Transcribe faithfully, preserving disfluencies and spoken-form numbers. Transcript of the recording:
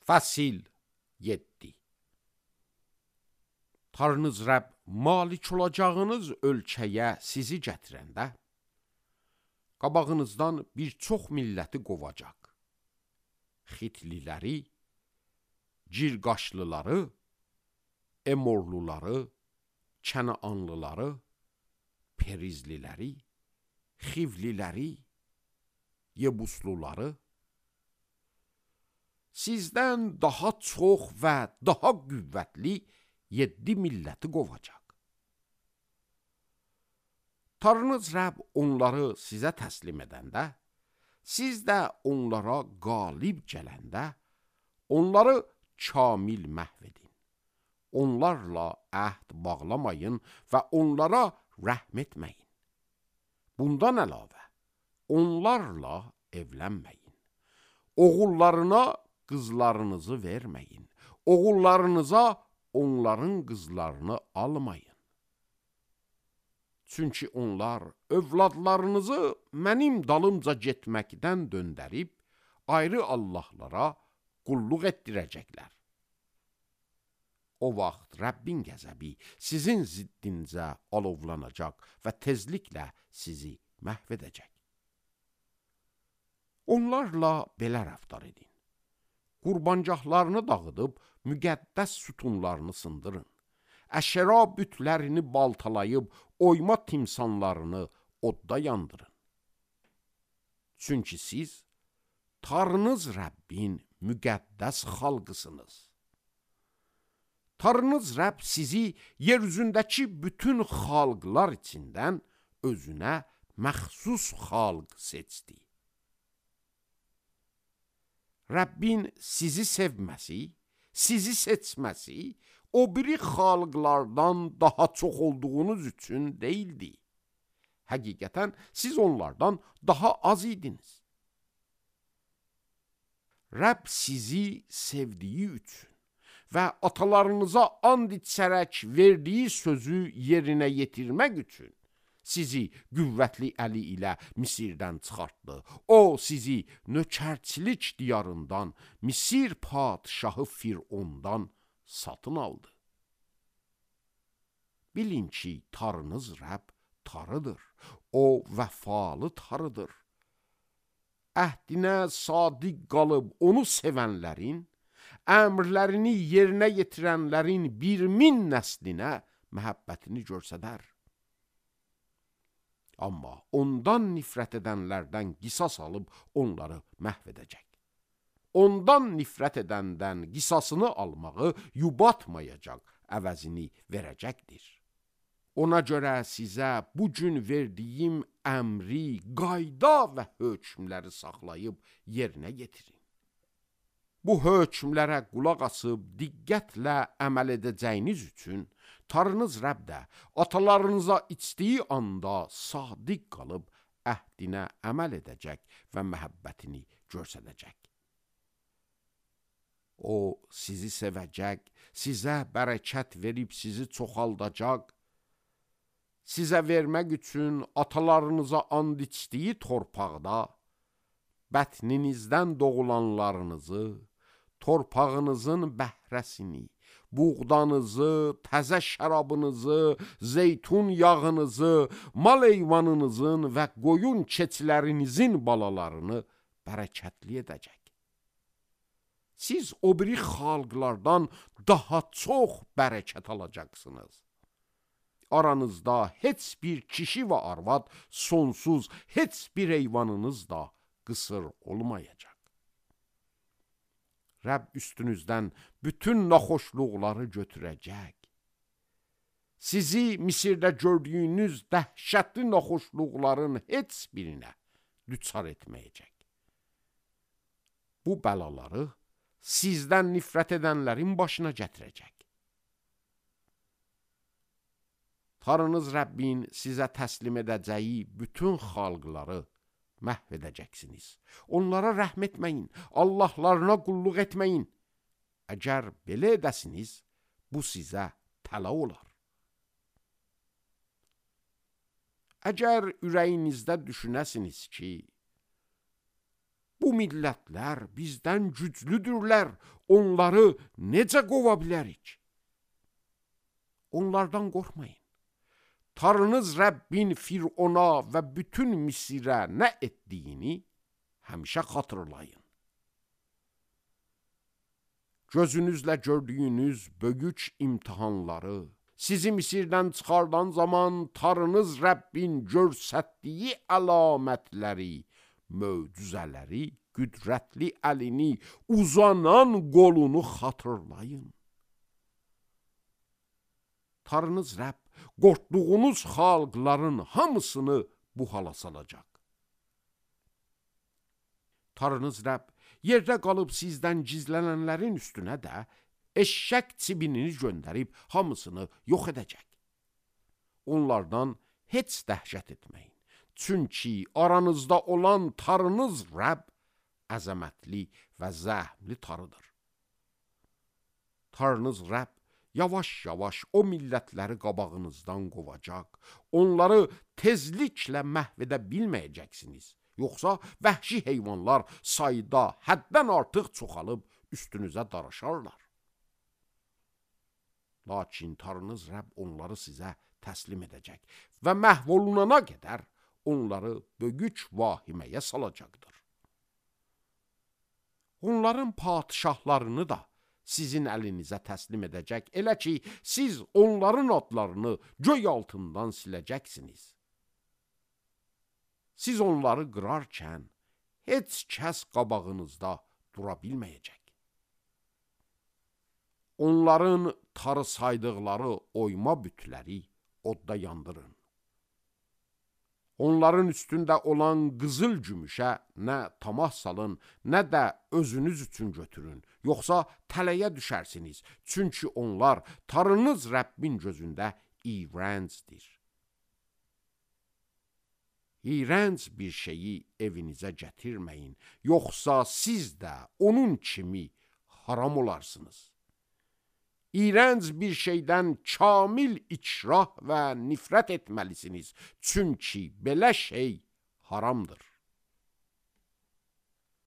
Fəsil yeddi. Tanrınız Rəbb malik olacağınız ölkəyə sizi gətirəndə, qabağınızdan bir çox milləti qovacaq. Xitliləri, Cirqaşlıları, Emorluları, Kənaanlıları, Perizliləri, Xivliləri, Yebusluları, sizdən daha çox və daha qüvvətli yeddi milləti qovacaq. Tanrınız Rəbb onları sizə təslim edəndə, siz də onlara qalib gələndə, onları kamil məhv edin. Onlarla əhd bağlamayın və onlara rəhm etməyin. Bundan əlavə, onlarla evlənməyin. Oğullarına qızlarınızı verməyin. Oğullarınıza onların qızlarını almayın. Çünki onlar övladlarınızı mənim dalımca getməkdən döndərib, ayrı Allahlara qulluq etdirəcəklər. O vaxt Rəbbin qəzəbi sizin ziddincə alovlanacaq və tezliklə sizi məhv edəcək. Onlarla belə rəftar edin. Qurbancaqlarını dağıdıb, müqəddəs sütunlarını sındırın. Əşəra bütlərini baltalayıb, oyma timsanlarını odda yandırın. Çünki siz, Tanrınız Rəbbin müqəddəs xalqısınız. Tanrınız Rəbb sizi yer üzündəki bütün xalqlar içindən özünə məxsus xalq seçdi. Rəbbin sizi sevməsi, sizi seçməsi, o biri xalqlardan daha çox olduğunuz üçün deyildi. Həqiqətən siz onlardan daha az idiniz. Rəbb sizi sevdiyi üçün və atalarınıza and içərək verdiyi sözü yerinə yetirmək üçün sizi qüvvətli əli ilə Misirdən çıxartdı. O, sizi nökərçilik diyarından, Misir padşahı Firondan satın aldı. Bilin ki, Tanrınız Rəbb Tanrıdır. O, vəfalı Tanrıdır. Əhdinə sadiq qalıb onu sevənlərin, əmrlərini yerinə yetirənlərin bir min nəslinə məhəbbətini göstərər. Amma ondan nifrət edənlərdən qisas alıb onları məhv edəcək. Ondan nifrət edəndən qisasını almağı yubatmayacaq, əvəzini verəcəkdir. Ona görə sizə bugün verdiyim əmri, qayda və hökmləri saxlayıb yerinə yetirin. Bu hökmlərə qulaq asıb diqqətlə əməl edəcəyiniz üçün Tanrınız Rəbb də atalarınıza içdiyi anda sadiq qalıb əhdinə əməl edəcək və məhəbbətini göstərəcək. O sizi sevəcək, sizə bərəkət verib sizi çoxaldacaq, sizə vermək üçün atalarınıza and içdiyi torpaqda bətninizdən doğulanlarınızı, torpağınızın bəhrəsini, buğdanızı, təzə şərabınızı, zeytun yağınızı, mal heyvanınızın və qoyun keçilərinizin balalarını bərəkətli edəcək. Siz o biri xalqlardan daha çox bərəkət alacaqsınız. Aranızda heç bir kişi və arvad, sonsuz heç bir heyvanınız da qısır olmayacaq. Rəbb üstünüzdən bütün naxoşluqları götürəcək. Sizi Misirdə gördüyünüz dəhşətli naxoşluqların heç birinə düçar etməyəcək. Bu bəlaları sizdən nifrət edənlərin başına gətirəcək. Tanrınız Rəbbin sizə təslim edəcəyi bütün xalqları məhv edəcəksiniz. Onlara rəhm etməyin, Allahlarına qulluq etməyin. Əgər belə edəsiniz, bu sizə təla olar. Əgər ürəyinizdə düşünəsiniz ki, Bu millətlər bizdən güclüdürlər, onları necə qova bilərik? Onlardan qorxmayın. Tanrınız Rəbbin Firona və bütün Misirə nə etdiyini həmişə xatırlayın. Gözünüzlə gördüyünüz böyük imtihanları, sizi Misirdən çıxardan zaman Tanrınız Rəbbin görsətdiyi əlamətləri, möcüzələri, qüdrətli əlini, uzanan qolunu xatırlayın. Tanrınız Rəbb qorxduğunuz xalqların hamısını bu hala salacaq. Tanrınız Rəbb yerdə qalıb sizdən gizlənənlərin üstünə də eşşək çibinini göndərib hamısını yox edəcək. Onlardan heç dəhşət etməyin. Çünki aranızda olan Tanrınız Rəbb əzəmətli və zəhmli Tanrıdır. Tanrınız Rəbb yavaş-yavaş o millətləri qabağınızdan qovacaq. Onları tezliklə məhv edə bilməyəcəksiniz. Yoxsa vəhşi heyvanlar sayda həddən artıq çoxalıb üstünüzə daraşarlar. Lakin Tanrınız Rəbb onları sizə təslim edəcək və məhv olunana qədər onları böyük vahiməyə salacaqdır. Onların padişahlarını da sizin əlinizə təslim edəcək, elə ki, siz onların adlarını göy altından siləcəksiniz. Siz onları qırarkən, heç kəs qabağınızda dura bilməyəcək. Onların tarı saydıqları oyma bütləri odda yandırın. Onların üstündə olan qızıl gümüşə nə tamah salın, nə də özünüz üçün götürün. Yoxsa tələyə düşərsiniz. Çünki onlar Tanrınız Rəbbin gözündə iyrəncdir. İyrənc bir şeyi evinizə gətirməyin. Yoxsa siz də onun kimi haram olarsınız. İyrənc bir şeydən kamil ikrah və nifrət etməlisiniz. Çünki belə şey haramdır.